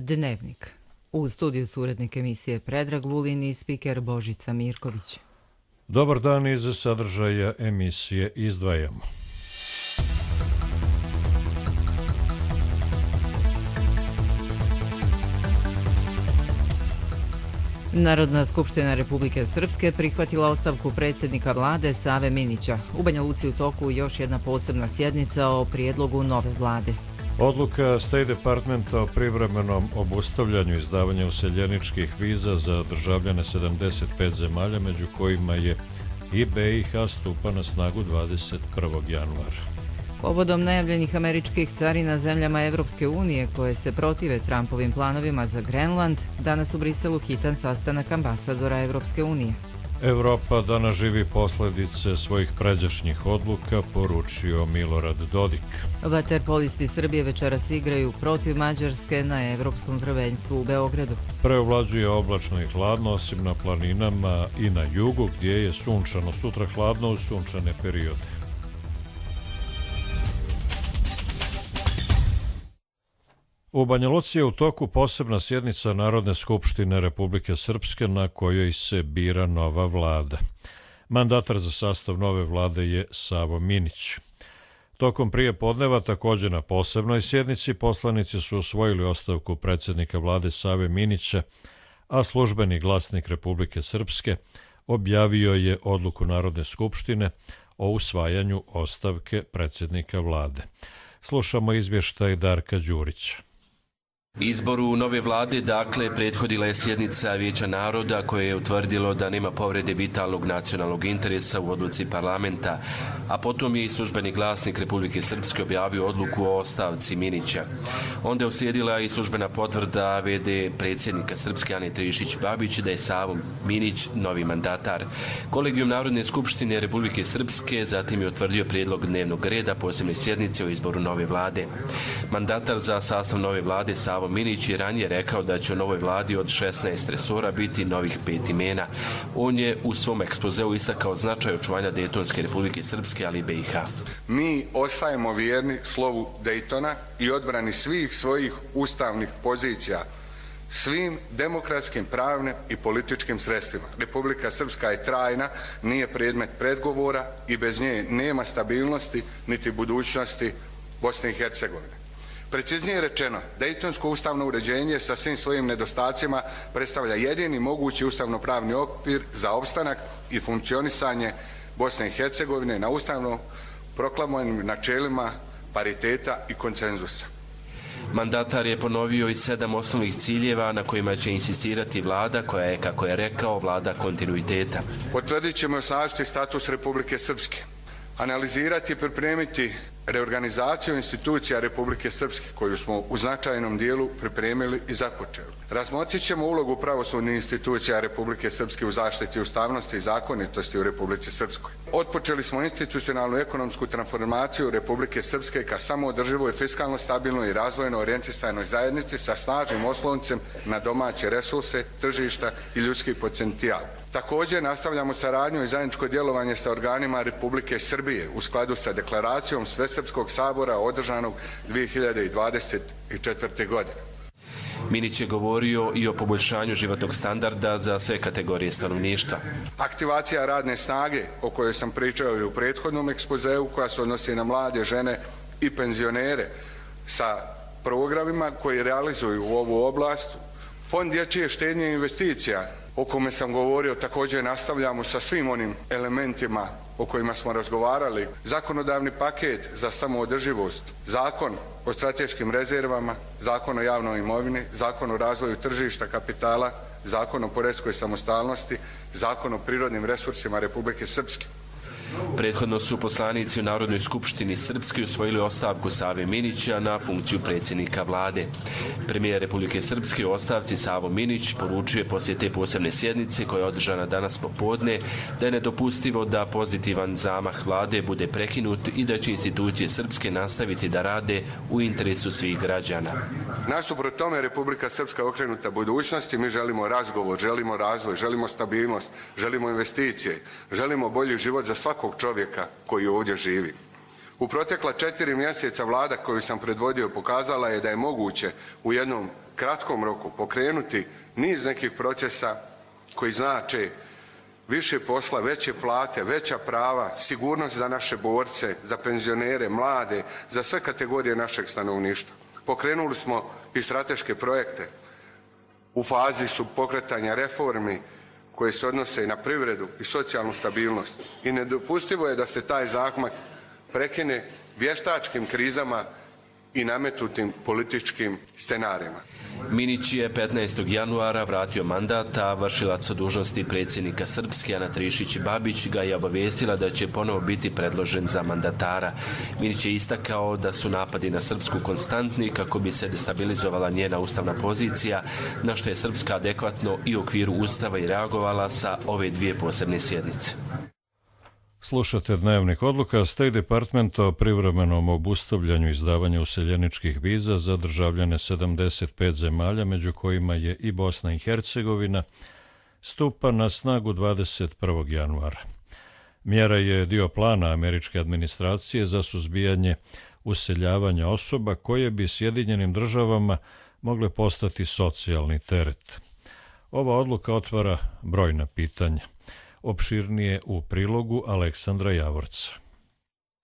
Dnevnik. U studiju su urednik emisije Predrag Vulin i spiker Božica Mirković. Dobar dan, iz sadržaja emisije izdvajamo. Narodna skupština Republike Srpske prihvatila ostavku predsjednika vlade Save Minića. U Banja Luci u toku još jedna posebna sjednica o prijedlogu nove vlade. Odluka State Departmenta o privremenom obustavljanju izdavanja useljeničkih viza za državljane 75 zemalja, među kojima je i BiH, stupa na snagu 21. januara. Povodom najavljenih američkih carina zemljama Evropske unije koje se protive Trumpovim planovima za Grenland, danas u Briselu hitan sastanak ambasadora Evropske unije. Evropa danas živi posljedice svojih pređašnjih odluka, poručio Milorad Dodik. Vaterpolisti Srbije večeras igraju protiv Mađarske na Evropskom prvenstvu u Beogradu. Preovlađuje oblačno i hladno, osim na planinama i na jugu, gdje je sunčano. Sutra hladno u sunčane periode. U Banja Luci je u toku posebna sjednica Narodne skupštine Republike Srpske na kojoj se bira nova vlada. Mandatar za sastav nove vlade je Savo Minić. Tokom prije podneva, također na posebnoj sjednici, poslanici su usvojili ostavku predsjednika vlade Save Minića, a službeni glasnik Republike Srpske objavio je odluku Narodne skupštine o usvajanju ostavke predsjednika vlade. Slušamo izvještaj Darka Đurića. Izboru nove vlade, dakle, prethodila je sjednica Vijeća naroda koje je utvrdilo da nema povrede vitalnog nacionalnog interesa u odluci parlamenta, a potom je i službeni glasnik Republike Srpske objavio odluku o ostavci Minića. Onda je uslijedila i službena potvrda v.d. predsjednika Srpske Ane Trišić-Babić da je Savo Minić novi mandatar. Kolegijum Narodne skupštine Republike Srpske zatim je utvrdio prijedlog dnevnog reda posebne sjednice o izboru nove vlade. Mandatar za sastav nove vlade Savo Minić je ranije rekao da će u novoj vladi od 16 resora biti novih 5 imena. On je u svom ekspozeu istakao značaj očuvanja Dejtonske Republike Srpske, ali i BiH. Mi ostajemo vjerni slovu Dejtona i odbrani svih svojih ustavnih pozicija, svim demokratskim, pravnim i političkim sredstvima. Republika Srpska je trajna, nije predmet predgovora i bez nje nema stabilnosti niti budućnosti Bosne i Hercegovine. Preciznije rečeno, Dejtonsko ustavno uređenje sa svim svojim nedostacima predstavlja jedini mogući ustavno-pravni okvir za opstanak i funkcionisanje Bosne i Hercegovine na ustavno proklamovanim načelima pariteta i konsenzusa. Mandatar je ponovio i 7 osnovnih ciljeva na kojima će insistirati vlada koja je, kako je rekao, vlada kontinuiteta. Potvrdit ćemo i osnažiti status Republike Srpske, analizirati i pripremiti reorganizaciju institucija Republike Srpske, koju smo u značajnom dijelu pripremili i započeli. Razmotrit ćemo ulogu pravosudnih institucija Republike Srpske u zaštiti ustavnosti i zakonitosti u Republici Srpskoj. Otpočeli smo institucionalnu ekonomsku transformaciju Republike Srpske ka samoodrživoj, fiskalno stabilnoj i razvojno orijentisanoj zajednici sa snažnim osloncem na domaće resurse, tržišta i ljudski potencijal. Također nastavljamo saradnju i zajedničko djelovanje sa organima Republike Srbije u skladu sa deklaracijom Svesrpskog sabora održanog 2024. godine. Minić je govorio i o poboljšanju životnog standarda za sve kategorije stanovništva. Aktivacija radne snage, o kojoj sam pričao i u prethodnom ekspozeu, koja se odnosi na mlade, žene i penzionere sa programima koji realizuju u ovu oblast. Fond dječje štednje i investicija, o kome sam govorio, također nastavljamo sa svim onim elementima o kojima smo razgovarali. Zakonodavni paket za samoodrživost, zakon o strateškim rezervama, zakon o javnoj imovini, zakon o razvoju tržišta kapitala, zakon o poreskoj samostalnosti, zakon o prirodnim resursima Republike Srpske. Prethodno su poslanici u Narodnoj skupštini Srpske usvojili ostavku Save Minića na funkciju predsjednika vlade. Premijer Republike Srpske u ostavci Savo Minić poručuje poslije te posebne sjednice koja je održana danas popodne da je nedopustivo da pozitivan zamah vlade bude prekinut i da će institucije Srpske nastaviti da rade u interesu svih građana. Nasuprot tome Republika Srpska je okrenuta budućnosti, mi želimo razgovor, želimo razvoj, želimo stabilnost, želimo investicije, želimo bolji život za svakog čovjeka koji ovdje živi. U protekla 4 mjeseca vlada koju sam predvodio pokazala je da je moguće u jednom kratkom roku pokrenuti niz nekih procesa koji znače više posla, veće plate, veća prava, sigurnost za naše borce, za penzionere, mlade, za sve kategorije našeg stanovništva. Pokrenuli smo i strateške projekte. U fazi su pokretanja reformi koje se odnose i na privredu i socijalnu stabilnost. I nedopustivo je da se taj zahvat prekine vještačkim krizama i nametnutim političkim scenarijima. Minić je 15. januara vratio mandat, a vršilac dužnosti predsjednika Srpske Ana Trišić-Babić ga je obavijestila da će ponovo biti predložen za mandatara. Minić je istakao da su napadi na Srpsku konstantni kako bi se destabilizovala njena ustavna pozicija, na što je Srpska adekvatno i u okviru ustava i reagovala sa ove dvije posebne sjednice. Slušate Dnevnik odluka. State Department o privremenom obustavljanju izdavanja useljeničkih viza za državljane 75 zemalja, među kojima je i Bosna i Hercegovina, stupa na snagu 21. januara. Mjera je dio plana američke administracije za suzbijanje useljavanja osoba koje bi Sjedinjenim državama mogle postati socijalni teret. Ova odluka otvara brojna pitanja. Opširnije u prilogu Aleksandra Javorca.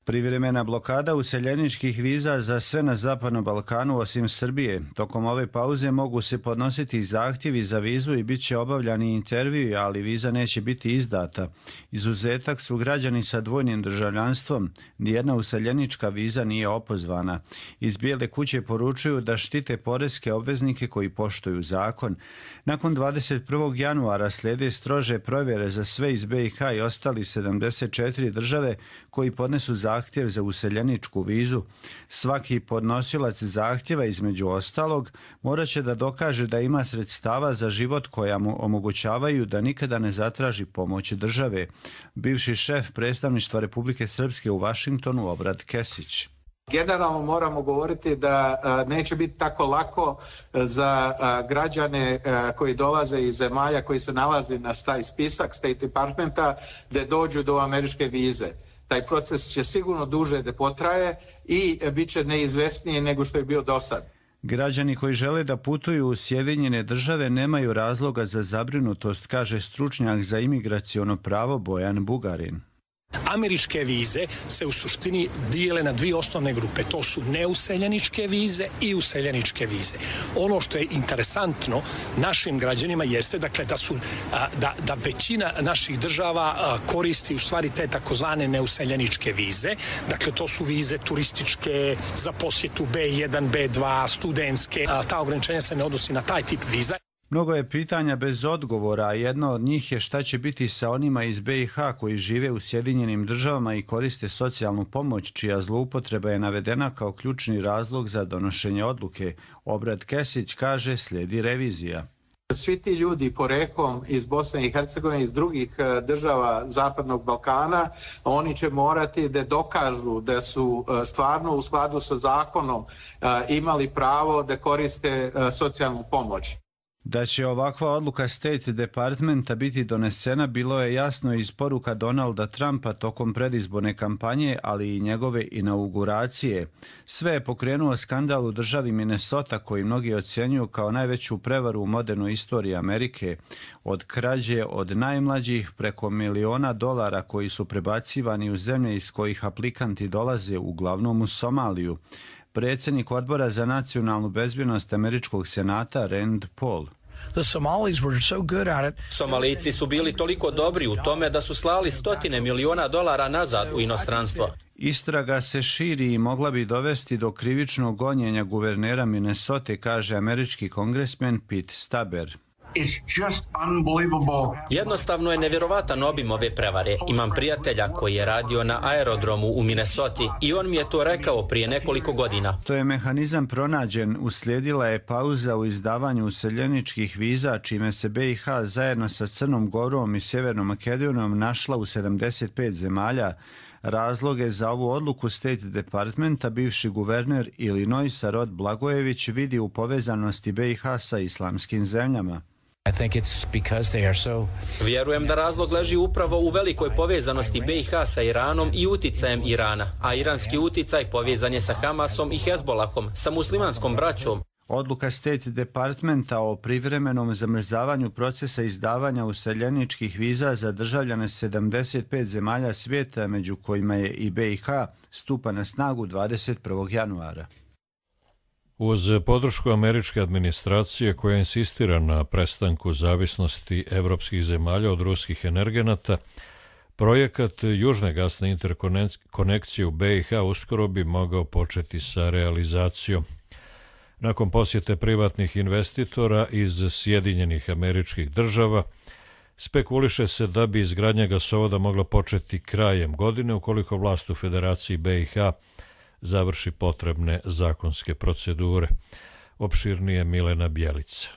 Privremena blokada useljeničkih viza za sve na Zapadnom Balkanu osim Srbije. Tokom ove pauze mogu se podnositi zahtjevi za vizu i bit će obavljani intervjui, ali viza neće biti izdata. Izuzetak su građani sa dvojnim državljanstvom. Nijedna useljenička viza nije opozvana. Iz Bijele kuće poručuju da štite poreske obveznike koji poštuju zakon. Nakon 21. januara slijede strože provjere za sve iz BiH i ostali 74 države koji podnesu zahtjev za useljeničku vizu. Svaki podnosilac zahtjeva, između ostalog, morat će da dokaže da ima sredstava za život koja mu omogućavaju da nikada ne zatraži pomoć države. Bivši šef predstavništva Republike Srpske u Vašingtonu, Obrad Kesić. Generalno moramo govoriti da neće biti tako lako za građane koji dolaze iz zemalja koji se nalazi na taj spisak State Departmenta da dođu do američke vize. Taj proces će sigurno duže da potraje i bit će neizvesnije nego što je bio do sad. Građani koji žele da putuju u Sjedinjene države nemaju razloga za zabrinutost, kaže stručnjak za imigraciono pravo Bojan Bugarin. Američke vize se u suštini dijele na dvije osnovne grupe. To su neuseljeničke vize i useljeničke vize. Ono što je interesantno našim građanima jeste dakle, da većina naših država koristi u stvari te takozvane neuseljeničke vize. Dakle, to su vize turističke, za posjetu B1, B2, studentske. Ta ograničenja se ne odnosi na taj tip viza. Mnogo je pitanja bez odgovora, a jedno od njih je šta će biti sa onima iz BiH koji žive u Sjedinjenim državama i koriste socijalnu pomoć, čija zloupotreba je navedena kao ključni razlog za donošenje odluke. Obrad Kesić kaže slijedi revizija. Svi ti ljudi poreklom iz Bosne i Hercegovine, iz drugih država Zapadnog Balkana, oni će morati da dokažu da su stvarno u skladu sa zakonom imali pravo da koriste socijalnu pomoć. Da će ovakva odluka State Departmenta biti donesena bilo je jasno iz poruka Donalda Trumpa tokom predizborne kampanje, ali i njegove inauguracije. Sve je pokrenuo skandal u državi Minnesota koji mnogi ocjenjuju kao najveću prevaru u modernoj istoriji Amerike. Od krađe od najmlađih preko $1.000.000 koji su prebacivani u zemlje iz kojih aplikanti dolaze, uglavnom u Somaliju. Predsjednik odbora za nacionalnu bezbjednost američkog senata Rand Paul. Somalijci su bili toliko dobri u tome da su slali $100 miliona nazad u inostranstvo. Istraga se širi i mogla bi dovesti do krivičnog gonjenja guvernera Minnesote, kaže američki kongresmen Pete Staber. Jednostavno je nevjerovatan obim ove prevare. Imam prijatelja koji je radio na aerodromu u Minnesoti i on mi je to rekao prije nekoliko godina. To je mehanizam pronađen. Uslijedila je pauza u izdavanju useljeničkih viza, čime se BiH zajedno sa Crnom Gorom i Sjevernom Makedonijom našla u 75 zemalja. Razloge za ovu odluku State Departmenta bivši guverner Illinoisa Rod Blagojević vidi u povezanosti BiH sa islamskim zemljama. Vjerujem da razlog leži upravo u velikoj povezanosti BiH sa Iranom i uticajem Irana, a iranski uticaj povezan je sa Hamasom i Hezbolahom, sa muslimanskom braćom. Odluka State Departmenta o privremenom zamrzavanju procesa izdavanja useljeničkih viza za državljane 75 zemalja svijeta, među kojima je i BiH, stupa na snagu 21. januara. Uz podršku američke administracije koja insistira na prestanku zavisnosti evropskih zemalja od ruskih energenata, projekat južne gasne interkonekcije u BiH uskoro bi mogao početi sa realizacijom. Nakon posjete privatnih investitora iz Sjedinjenih Američkih Država, spekuliše se da bi izgradnja gasovoda mogla početi krajem godine ukoliko vlast u Federaciji BiH završi potrebne zakonske procedure. Opširnije Milena Bjelica.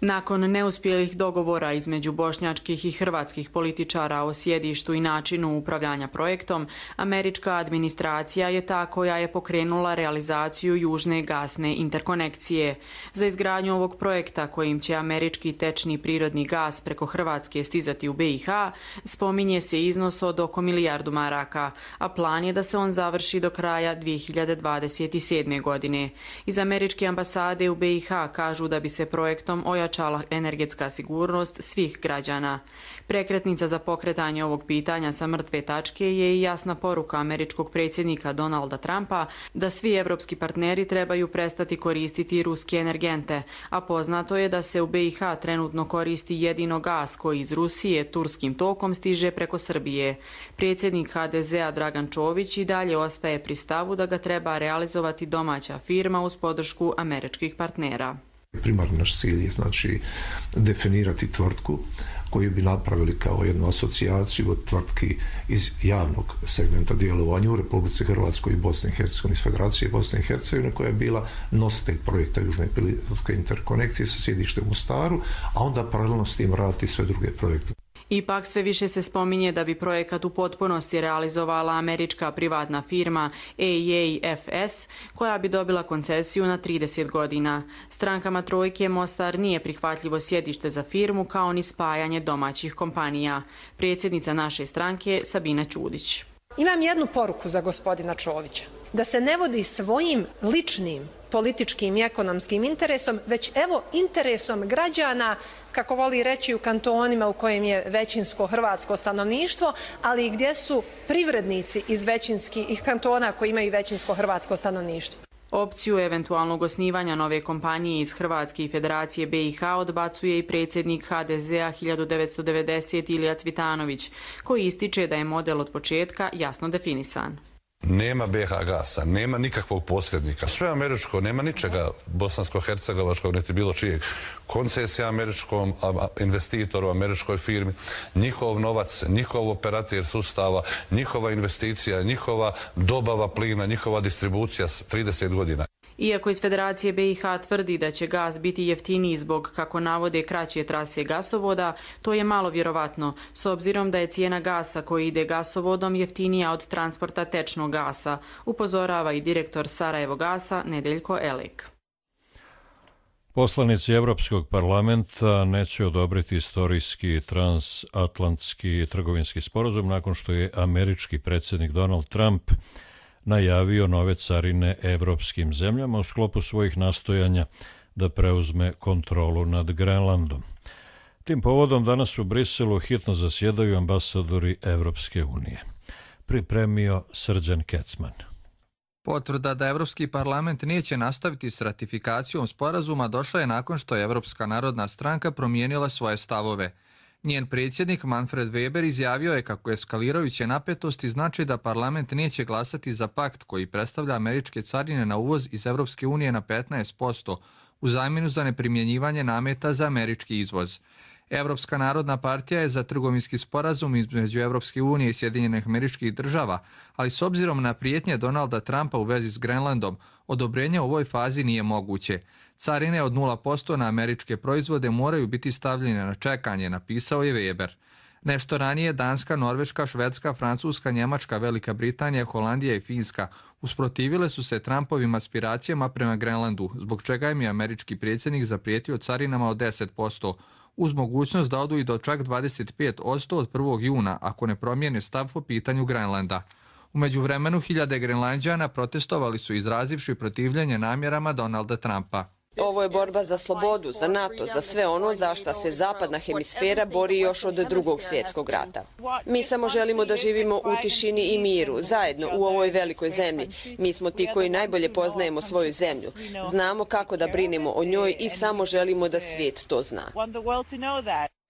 Nakon neuspjelih dogovora između bošnjačkih i hrvatskih političara o sjedištu i načinu upravljanja projektom, američka administracija je ta koja je pokrenula realizaciju južne gasne interkonekcije. Za izgradnju ovog projekta, kojim će američki tečni prirodni gas preko Hrvatske stizati u BiH, spominje se iznos od oko milijardu maraka, a plan je da se on završi do kraja 2027. godine. Iz američke ambasade u BiH kažu da bi se projektom ojačala energetska sigurnost svih građana. Prekretnica za pokretanje ovog pitanja sa mrtve tačke je i jasna poruka američkog predsjednika Donalda Trumpa da svi evropski partneri trebaju prestati koristiti ruske energente, a poznato je da se u BiH trenutno koristi jedino gas koji iz Rusije turskim tokom stiže preko Srbije. Predsjednik HDZ-a Dragan Čović i dalje ostaje pri stavu da ga treba realizovati domaća firma uz podršku američkih partnera. Primarni naš cilj je znači definirati tvrtku koju bi napravili kao jednu asocijaciju od tvrtki iz javnog segmenta djelovanja u Republici Hrvatskoj i Bosni i Hercegovini, iz Federacije Bosne i Hercegovine, koja je bila nositelj projekta Južne plinske interkonekcije sa sjedištem u Mostaru, a onda paralelno s tim raditi sve druge projekte. Ipak sve više se spominje da bi projekat u potpunosti realizovala američka privatna firma AEFS, koja bi dobila koncesiju na 30 godina. Strankama trojke Mostar nije prihvatljivo sjedište za firmu kao ni spajanje domaćih kompanija. Predsjednica naše stranke Sabina Ćudić. Imam jednu poruku za gospodina Čovića. Da se ne vodi svojim ličnim političkim i ekonomskim interesom, već evo interesom građana, kako voli reći u kantonima u kojem je većinsko hrvatsko stanovništvo, ali i gdje su privrednici iz kantona koji imaju većinsko hrvatsko stanovništvo. Opciju eventualnog osnivanja nove kompanije iz Hrvatske i Federacije BiH odbacuje i predsjednik HDZ-a 1990 Ilija Cvitanović, koji ističe da je model od početka jasno definisan. Nema BiH gasa, nema nikakvog posrednika. Sve američko, nema ničega bosansko-hercegovačkog, niti bilo čijeg. Koncesija američkom investitoru, američkoj firmi, njihov novac, njihov operator sustava, njihova investicija, njihova dobava plina, njihova distribucija 30 godina. Iako iz Federacije BiH tvrdi da će gas biti jeftiniji zbog, kako navode, kraće trase gasovoda, to je malo vjerovatno, s obzirom da je cijena gasa koji ide gasovodom jeftinija od transporta tečnog gasa, upozorava i direktor Sarajevo gasa Nedeljko Elek. Poslanici Evropskog parlamenta neće odobriti istorijski transatlantski trgovinski sporazum nakon što je američki predsjednik Donald Trump najavio nove carine evropskim zemljama u sklopu svojih nastojanja da preuzme kontrolu nad Grenlandom. Tim povodom danas u Briselu hitno zasjedaju ambasadori Evropske unije. Pripremio Srđan Kecman. Potvrda da Evropski parlament neće nastaviti s ratifikacijom sporazuma došla je nakon što je Evropska narodna stranka promijenila svoje stavove. Njen predsjednik Manfred Weber izjavio je kako eskalirajuće napetosti znači da parlament neće glasati za pakt koji predstavlja američke carine na uvoz iz Evropske unije na 15% u zamjenu za neprimjenjivanje nameta za američki izvoz. Evropska narodna partija je za trgovinski sporazum između Evropske unije i Sjedinjenih Američkih Država, ali s obzirom na prijetnje Donalda Trumpa u vezi s Grenlandom, odobrenje u ovoj fazi nije moguće. Carine od 0% na američke proizvode moraju biti stavljene na čekanje, napisao je Weber. Nešto ranije Danska, Norveška, Švedska, Francuska, Njemačka, Velika Britanija, Holandija i Finska usprotivile su se Trumpovim aspiracijama prema Grenlandu, zbog čega im je američki predsjednik zaprijetio carinama od 10%, uz mogućnost da odu i do čak 25% od 1. juna ako ne promijene stav po pitanju Grenlanda. U međuvremenu hiljade Grenlanđana protestovali su izrazivši protivljenje namjerama Donalda Trumpa. Ovo je borba za slobodu, za NATO, za sve ono za šta se zapadna hemisfera bori još od Drugog svjetskog rata. Mi samo želimo da živimo u tišini i miru, zajedno u ovoj velikoj zemlji. Mi smo ti koji najbolje poznajemo svoju zemlju. Znamo kako da brinemo o njoj i samo želimo da svijet to zna.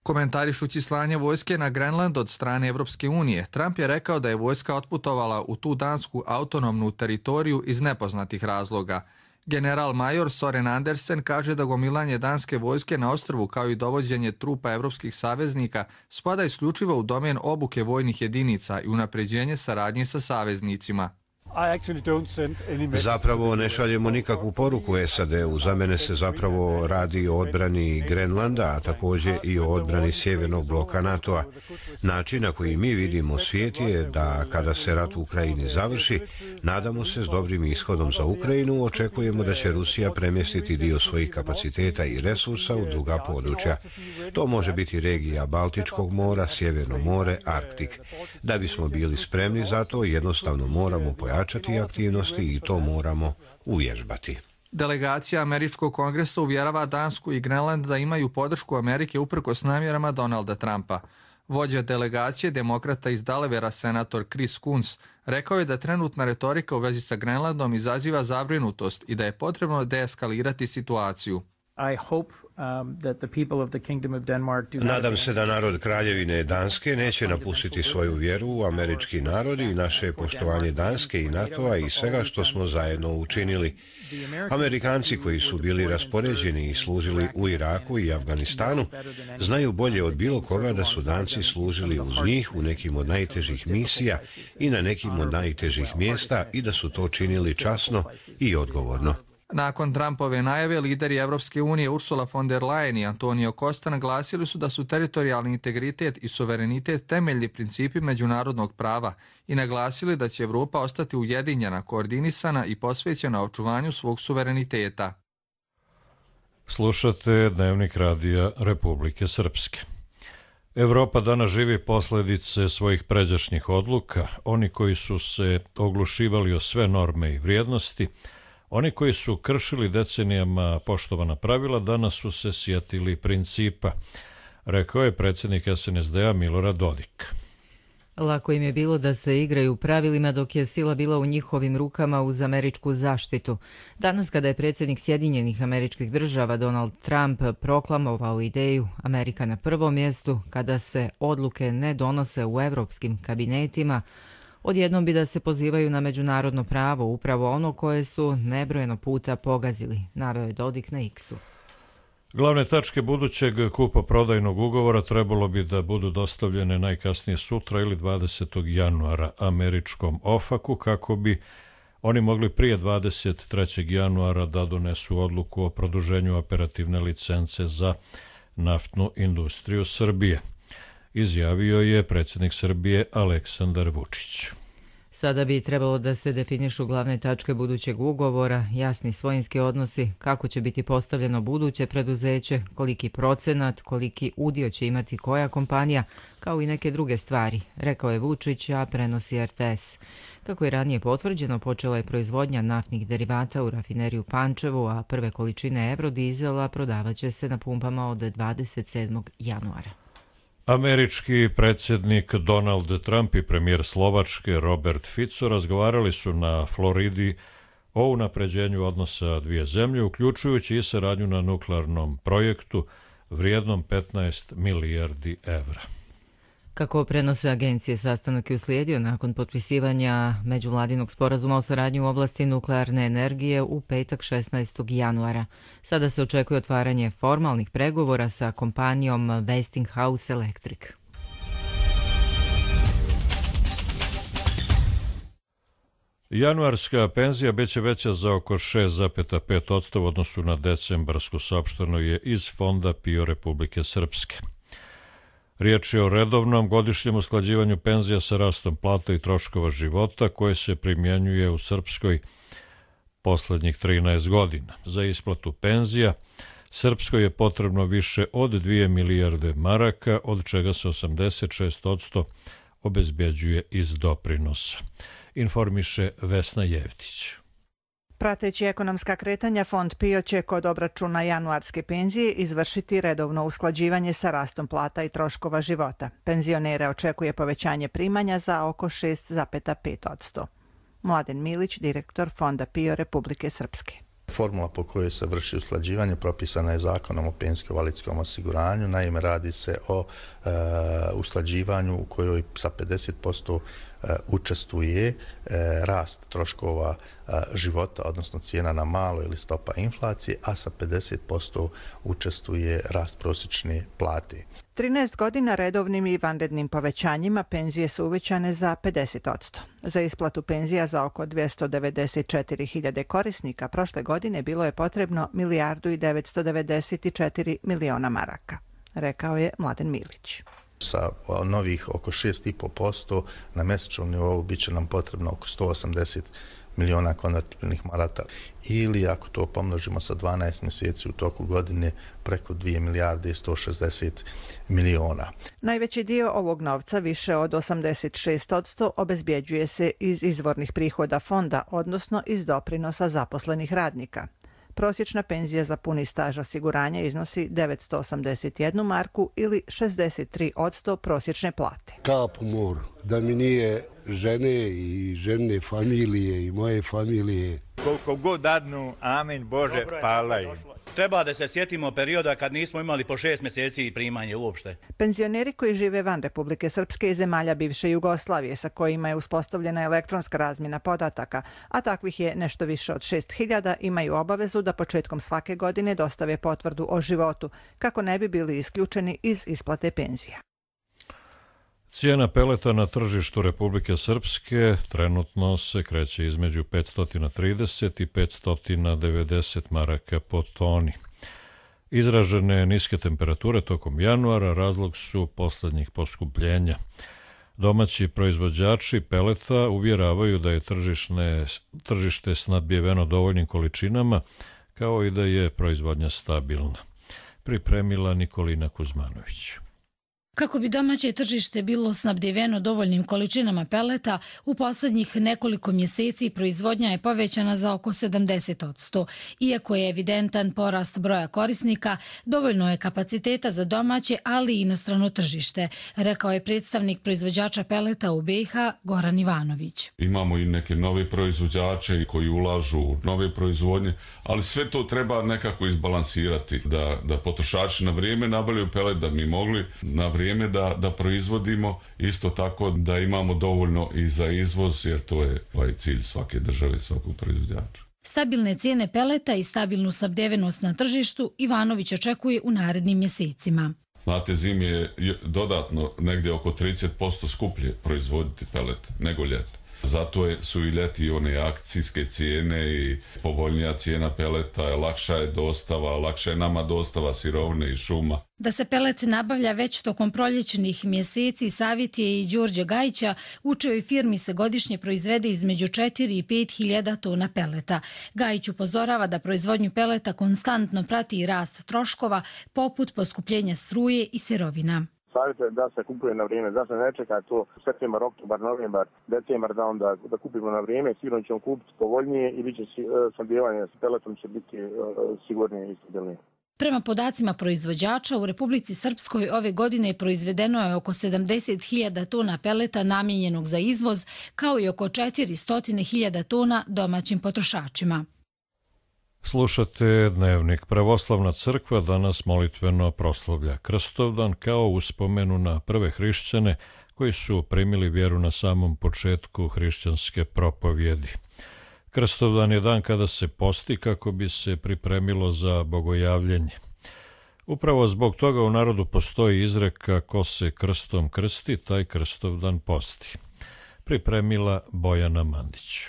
Komentarišući slanje vojske na Grenland od strane Evropske unije, Trump je rekao da je vojska otputovala u tu dansku autonomnu teritoriju iz nepoznatih razloga. General major Soren Andersen kaže da gomilanje danske vojske na ostrvu kao i dovođenje trupa evropskih saveznika spada isključivo u domen obuke vojnih jedinica i unapređenje saradnje sa saveznicima. Zapravo ne šaljemo nikakvu poruku SAD-u. Za mene se zapravo radi o odbrani Grenlanda, a također i o odbrani sjevernog bloka NATO-a. Način na koji mi vidimo svijet je da kada se rat u Ukrajini završi, nadamo se s dobrim ishodom za Ukrajinu, očekujemo da će Rusija premjestiti dio svojih kapaciteta i resursa u druga područja. To može biti regija Baltičkog mora, Sjeverno more, Arktik. Da bismo bili spremni za to, jednostavno moramo pojačati aktivnosti i to moramo uvježbati. Delegacija Američkog kongresa uvjerava Dansku i Grenland da imaju podršku Amerike uprkos namjerama Donalda Trumpa. Vođa delegacije demokrata iz Delawarea, senator Chris Coons, rekao je da trenutna retorika u vezi sa Grenlandom izaziva zabrinutost i da je potrebno deeskalirati situaciju. Nadam se da narod Kraljevine Danske neće napustiti svoju vjeru u američki narod i naše poštovanje Danske i NATO-a i svega što smo zajedno učinili. Amerikanci koji su bili raspoređeni i služili u Iraku i Afganistanu znaju bolje od bilo koga da su Danci služili uz njih u nekim od najtežih misija i na nekim od najtežih mjesta i da su to činili časno i odgovorno. Nakon Trumpove najave, lideri Evropske unije Ursula von der Leyen i Antonio Costa naglasili su da su teritorijalni integritet i suverenitet temeljni principi međunarodnog prava i naglasili da će Evropa ostati ujedinjena, koordinisana i posvećena očuvanju svog suvereniteta. Slušate Dnevnik radija Republike Srpske. Evropa danas živi posljedice svojih pređašnjih odluka. Oni koji su se oglušivali o sve norme i vrijednosti, oni koji su kršili decenijama poštovana pravila, danas su se sjetili principa, rekao je predsjednik SNSD-a Milorad Dodik. Lako im je bilo da se igraju pravilima dok je sila bila u njihovim rukama uz američku zaštitu. Danas kada je predsjednik Sjedinjenih Američkih Država Donald Trump proklamovao ideju Amerika na prvom mjestu, kada se odluke ne donose u evropskim kabinetima, odjednom bi da se pozivaju na međunarodno pravo, upravo ono koje su nebrojeno puta pogazili, naveo je Dodik na X-u. Glavne tačke budućeg kupoprodajnog ugovora trebalo bi da budu dostavljene najkasnije sutra ili 20. januara američkom OFAC-u kako bi oni mogli prije 23. januara da donesu odluku o produženju operativne licence za naftnu industriju Srbije, izjavio je predsjednik Srbije Aleksandar Vučić. Sada bi trebalo da se definišu glavne tačke budućeg ugovora, jasni svojinski odnosi, kako će biti postavljeno buduće preduzeće, koliki procenat, koliki udio će imati koja kompanija, kao i neke druge stvari, rekao je Vučić, a prenosi RTS. Kako je ranije potvrđeno, počela je proizvodnja naftnih derivata u rafineriju Pančevu, a prve količine eurodizela prodavaće se na pumpama od 27. januara. Američki predsjednik Donald Trump i premijer Slovačke Robert Fico razgovarali su na Floridi o unapređenju odnosa dvije zemlje, uključujući i saradnju na nuklearnom projektu vrijednom 15 milijardi evra. Kako prenose agencije, sastanak je uslijedio nakon potpisivanja međuvladinog sporazuma o saradnji u oblasti nuklearne energije u petak 16. januara. Sada se očekuje otvaranje formalnih pregovora sa kompanijom Westinghouse Electric. Januarska penzija biće veća za oko 6,5% u odnosu na decembarsku, saopšteno je iz Fonda PIO Republike Srpske. Riječ je o redovnom godišnjem usklađivanju penzija sa rastom plata i troškova života koje se primjenjuje u Srpskoj posljednjih 13 godina. Za isplatu penzija Srpskoj je potrebno više od 2 milijarde maraka, od čega se 86% obezbjeđuje iz doprinosa. Informiše Vesna Jevtić. Prateći ekonomska kretanja, Fond PIO će kod obračuna januarske penzije izvršiti redovno usklađivanje sa rastom plata i troškova života. Penzionere očekuje povećanje primanja za oko 6,5%. Mladen Milić, direktor Fonda PIO Republike Srpske. Formula po kojoj se vrši usklađivanje propisana je Zakonom o penzijsko-invalidskom osiguranju. Naime, radi se o usklađivanju u kojoj sa 50% učestvuje rast troškova života, odnosno cijena na malo ili stopa inflacije, a sa 50% učestvuje rast prosječne plate. 13 godina redovnim i vanrednim povećanjima penzije su uvećane za 50%. Za isplatu penzija za oko 294.000 korisnika prošle godine bilo je potrebno 1.994 miliona maraka, rekao je Mladen Milić. Sa novih oko 6,5% na mjesečnom nivou bit će nam potrebno oko 180 miliona konvertibilnih maraka ili ako to pomnožimo sa 12 mjeseci u toku godine preko 2 milijarde i 160 miliona. Najveći dio ovog novca, više od 86%, obezbjeđuje se iz izvornih prihoda fonda, odnosno iz doprinosa zaposlenih radnika. Prosječna penzija za puni staž osiguranja iznosi 981 marku ili 63% prosječne plate. Kap u moru, da mi nije žene i žene familije i moje familije. Koliko god dadnu, amen Bože, pala im. Treba da se sjetimo perioda kad nismo imali po 6 mjeseci primanje uopšte. Penzioneri koji žive van Republike Srpske i zemalja bivše Jugoslavije, sa kojima je uspostavljena elektronska razmjena podataka, a takvih je nešto više od 6.000, imaju obavezu da početkom svake godine dostave potvrdu o životu, kako ne bi bili isključeni iz isplate penzija. Cijena peleta na tržištu Republike Srpske trenutno se kreće između 530 i 590 maraka po toni. Izražene niske temperature tokom januara razlog su posljednjih poskupljenja. Domaći proizvođači peleta uvjeravaju da je tržište snabdjeveno dovoljnim količinama, kao i da je proizvodnja stabilna. Pripremila Nikolina Kuzmanović. Kako bi domaće tržište bilo snabdjeveno dovoljnim količinama peleta, u posljednjih nekoliko mjeseci proizvodnja je povećana za oko 70%. Iako je evidentan porast broja korisnika, dovoljno je kapaciteta za domaće, ali i inostrano tržište, rekao je predstavnik proizvođača peleta u BiH Goran Ivanović. Imamo i neke nove proizvođače koji ulažu u nove proizvodnje, ali sve to treba nekako izbalansirati, da potrošači na vrijeme nabavljaju pelet, da mi mogli na vrijeme da proizvodimo, isto tako da imamo dovoljno i za izvoz, jer to je cilj svake države, svakog proizvođača. Stabilne cijene peleta i stabilnu snabdjevenost na tržištu Ivanović očekuje u narednim mjesecima. Znate, zimi je dodatno negdje oko 30% skuplje proizvoditi pelet nego ljeti. Zato su i ljeti one akcijske cijene i povoljnija cijena peleta, lakša je dostava, lakša je nama dostava sirovine i šuma. Da se pelet nabavlja već tokom proljećnih mjeseci, savjet je i Đorđe Gajića, u čijoj firmi se godišnje proizvede između 4 i 5 hiljada tona peleta. Gajić upozorava da proizvodnju peleta konstantno prati i rast troškova, poput poskupljenja struje i sirovina. Savjetuje da se kupuje na vrijeme, da se ne čeka to septembar, oktobar, novembar, decembar da kupimo na vrijeme, sigurno ćemo kupiti povoljnije i bit će snabdijevanje s peletom će biti sigurnije i stabilnije. Prema podacima proizvođača, u Republici Srpskoj ove godine proizvedeno je oko 70.000 tona peleta namijenjenog za izvoz, kao i oko 400.000 tona domaćim potrošačima. Slušate Dnevnik. Pravoslavna crkva danas molitveno proslavlja Krstovdan kao uspomenu na prve hrišćane koji su primili vjeru na samom početku hrišćanske propovjedi. Krstovdan je dan kada se posti kako bi se pripremilo za bogojavljenje. Upravo zbog toga u narodu postoji izreka ko se krstom krsti, taj Krstovdan posti. Pripremila Bojana Mandić.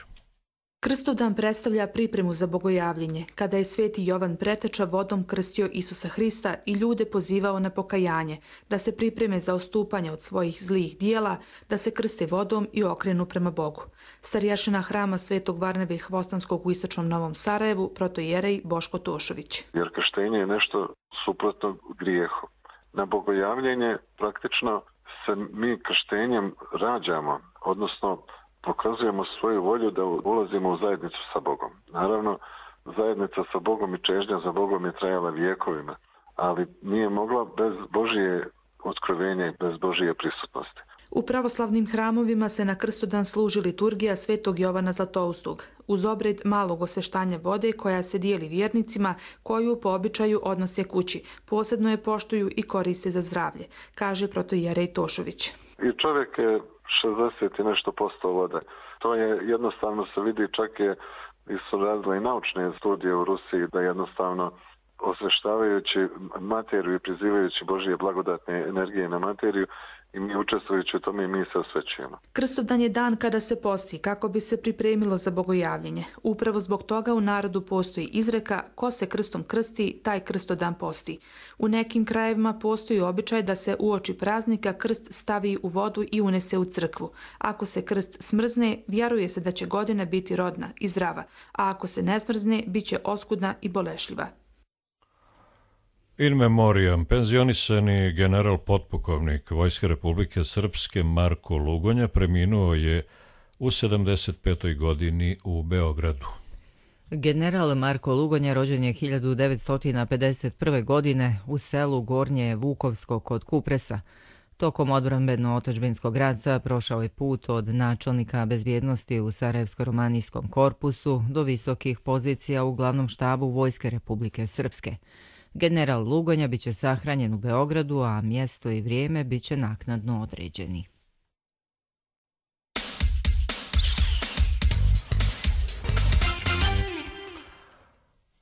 Krstovdan predstavlja pripremu za bogojavljenje, kada je sveti Jovan Preteča vodom krstio Isusa Hrista i ljude pozivao na pokajanje, da se pripreme za odstupanje od svojih zlih dijela, da se krste vodom i okrenu prema Bogu. Starješina hrama Svetog Varnave Hvostanskog u istočnom Novom Sarajevu, protoijerej Boško Tošović. Jer krštenje je nešto suprotno grijehu. Na bogojavljenje praktično se mi krštenjem rađamo, odnosno pokazujemo svoju volju da ulazimo u zajednicu sa Bogom. Naravno, zajednica sa Bogom i čežnja za Bogom je trajala vijekovima, ali nije mogla bez Božije otkrovenja i bez Božije prisutnosti. U pravoslavnim hramovima se na Krstodan služi liturgija Svetog Jovana Zlatoustog, uz obred malog osveštanja vode koja se dijeli vjernicima, koju po običaju odnose kući. Posebno je poštuju i koriste za zdravlje, kaže protoijerej Tošović. I čovjek je 60 i nešto posto vode. To je jednostavno se vidi, čak je su radile i naučne studije u Rusiji da jednostavno osveštavajući materiju i prizivajući Božije blagodatne energije na materiju i mi učestvujući u tome i mi se osvećujemo. Krstodan je dan kada se posti kako bi se pripremilo za bogojavljenje. Upravo zbog toga u narodu postoji izreka ko se krstom krsti, taj krstodan posti. U nekim krajevima postoji običaj da se uoči praznika krst stavi u vodu i unese u crkvu. Ako se krst smrzne, vjeruje se da će godina biti rodna i zdrava, a ako se ne smrzne, bit će oskudna i bolešljiva. In memoriam, penzionisani general potpukovnik Vojske Republike Srpske Marko Lugonja preminuo je u 75. godini u Beogradu. General Marko Lugonja rođen je 1951. godine u selu Gornje Vukovsko kod Kupresa. Tokom odbrambeno-otadžbinskog rata prošao je put od načelnika bezbjednosti u Sarajevsko-romanijskom korpusu do visokih pozicija u glavnom štabu Vojske Republike Srpske. General Lugonja biće sahranjen u Beogradu, a mjesto i vrijeme biće naknadno određeni.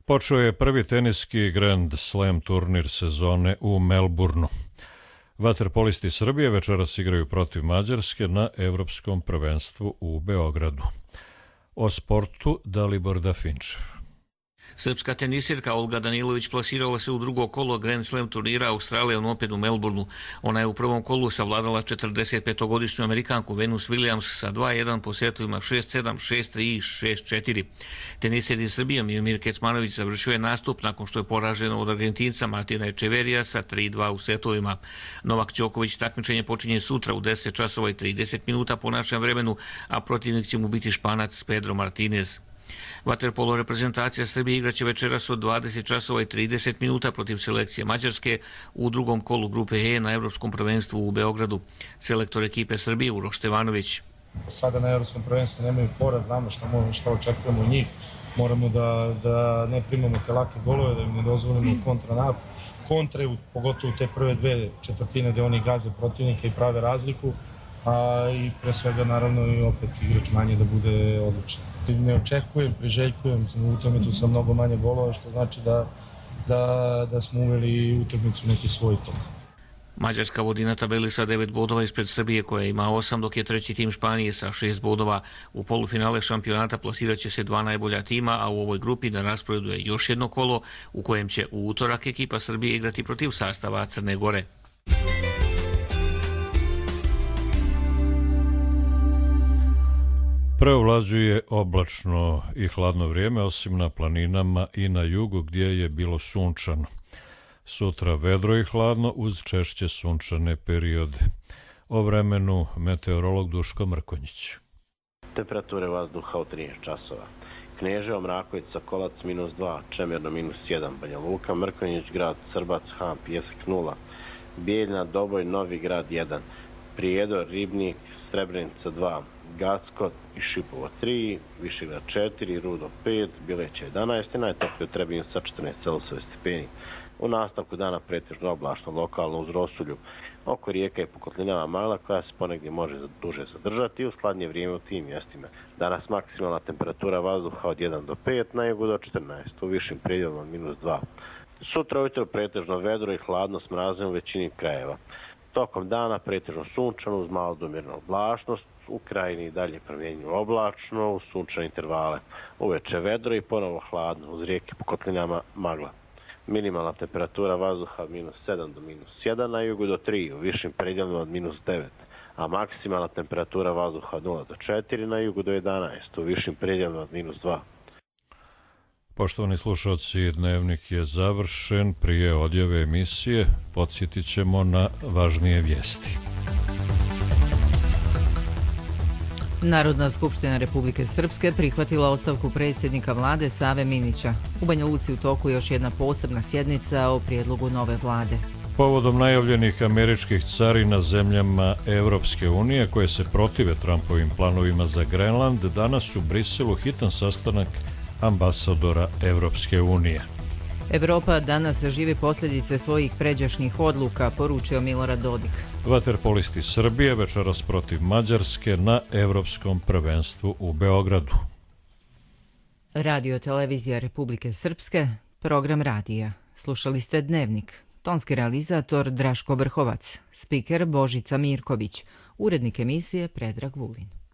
Počeo je prvi teniski Grand Slam turnir sezone u Melbourneu. Vaterpolisti Srbije večeras igraju protiv Mađarske na Evropskom prvenstvu u Beogradu. O sportu Dalibor Dafinčev. Srpska tenisirka Olga Danilović plasirala se u drugo kolo Grand Slam turnira Australian Open u Melbourneu. Ona je u prvom kolu savladala 45-godišnju Amerikanku Venus Williams sa 2-1 po setovima 6-7, 6-3 i 6-4. Tenisir iz Srbije Miomir Kecmanović završio je nastup nakon što je poražen od Argentinca Martina Echeverija sa 3-2 u setovima. Novak Đoković takmičenje počinje sutra u 10 časova i 30 minuta po našem vremenu, a protivnik će mu biti Španac Pedro Martinez. Vaterpolo reprezentacija Srbije igraće večeras od 20 časova i 30 minuta protiv selekcije Mađarske u drugom kolu grupe E na Evropskom prvenstvu u Beogradu. Selektor ekipe Srbije Uroš Stevanović. Sada na Evropskom prvenstvu nemaju poraz, znamo šta očekujemo od njih. Moramo da ne primamo te lake golove, da im ne dozvolimo kontre, pogotovo te prve dve četvrtine gde oni gaze protivnika i prave razliku. I pre svega naravno i opet igrač manje da bude odličan. Ne očekujem, priželjkujem u utakmicu sa mnogo manje golova, što znači da smo uveli utakmicu neki svoj tok. Mađarska vodi na tabeli sa 9 bodova ispred Srbije koja ima 8, dok je treći tim Španije sa 6 bodova. U polufinale šampionata plasirat će se 2 najbolja tima, a u ovoj grupi na rasporedu je još jedno kolo u kojem će u utorak ekipa Srbije igrati protiv sastava Crne Gore. Preovlađuje oblačno i hladno vrijeme, osim na planinama i na jugu gdje je bilo sunčano. Sutra vedro i hladno uz češće sunčane periode. O vremenu meteorolog Duško Mrkonjić. Temperature vazduha u 13 časova. Kneževo, Mrakovica, Kolac -2, Čemerno -1, Banja Luka, Mrkonjić Grad, Srbac, Han, Pjesak 0, Bijeljna, Doboj, Novi Grad 1, Prijedor, Ribnik, Srebrenica 2, Gacko i Šipovo 3, Višegrad 4, Rudo 5, Bileća 11 i najtoplije u Trebinju sa 14 stepeni. U nastavku dana pretežno oblačno, lokalno uz rosulju. Oko rijeka i po kotlinama magla koja se ponegdje može duže zadržati i u hladnije vrijeme u tim mjestima. Danas maksimalna temperatura vazduha od 1 do 5, na jugu do 14, u višim predjelima -2. Sutra ujutro pretežno vedro i hladno s mrazom u većini krajeva. Tokom dana pretežno sunčano uz malo do mirnu oblačnost, u krajini dalje promjenjivo oblačno, uz sunčane intervale. Uveče vedro i ponovo hladno, uz rijeke po kotlinama magla. Minimalna temperatura vazduha od -7 do -1, na jugu do 3, u višim predjelima od -9, a maksimalna temperatura vazduha od 0 do 4, na jugu do 11, u višim predjelima od -2. Poštovani slušalci, dnevnik je završen. Prije odjave emisije podsjetit ćemo na važnije vijesti. Narodna skupština Republike Srpske prihvatila ostavku predsjednika vlade Save Minića. U Banja Luci u toku još jedna posebna sjednica o prijedlogu nove vlade. Povodom najavljenih američkih carina zemljama Evropske unije koje se protive Trumpovim planovima za Grenland, danas u Briselu hitan sastanak ambasadora Evropske unije. Evropa danas živi posljedice svojih pređašnjih odluka, poručio Milorad Dodik. Vaterpolisti Srbije večeras protiv Mađarske na Evropskom prvenstvu u Beogradu. Radio televizija Republike Srpske, program radija. Slušali ste Dnevnik. Tonski realizator Draško Vrhovac, spiker Božica Mirković, urednik emisije Predrag Vulin.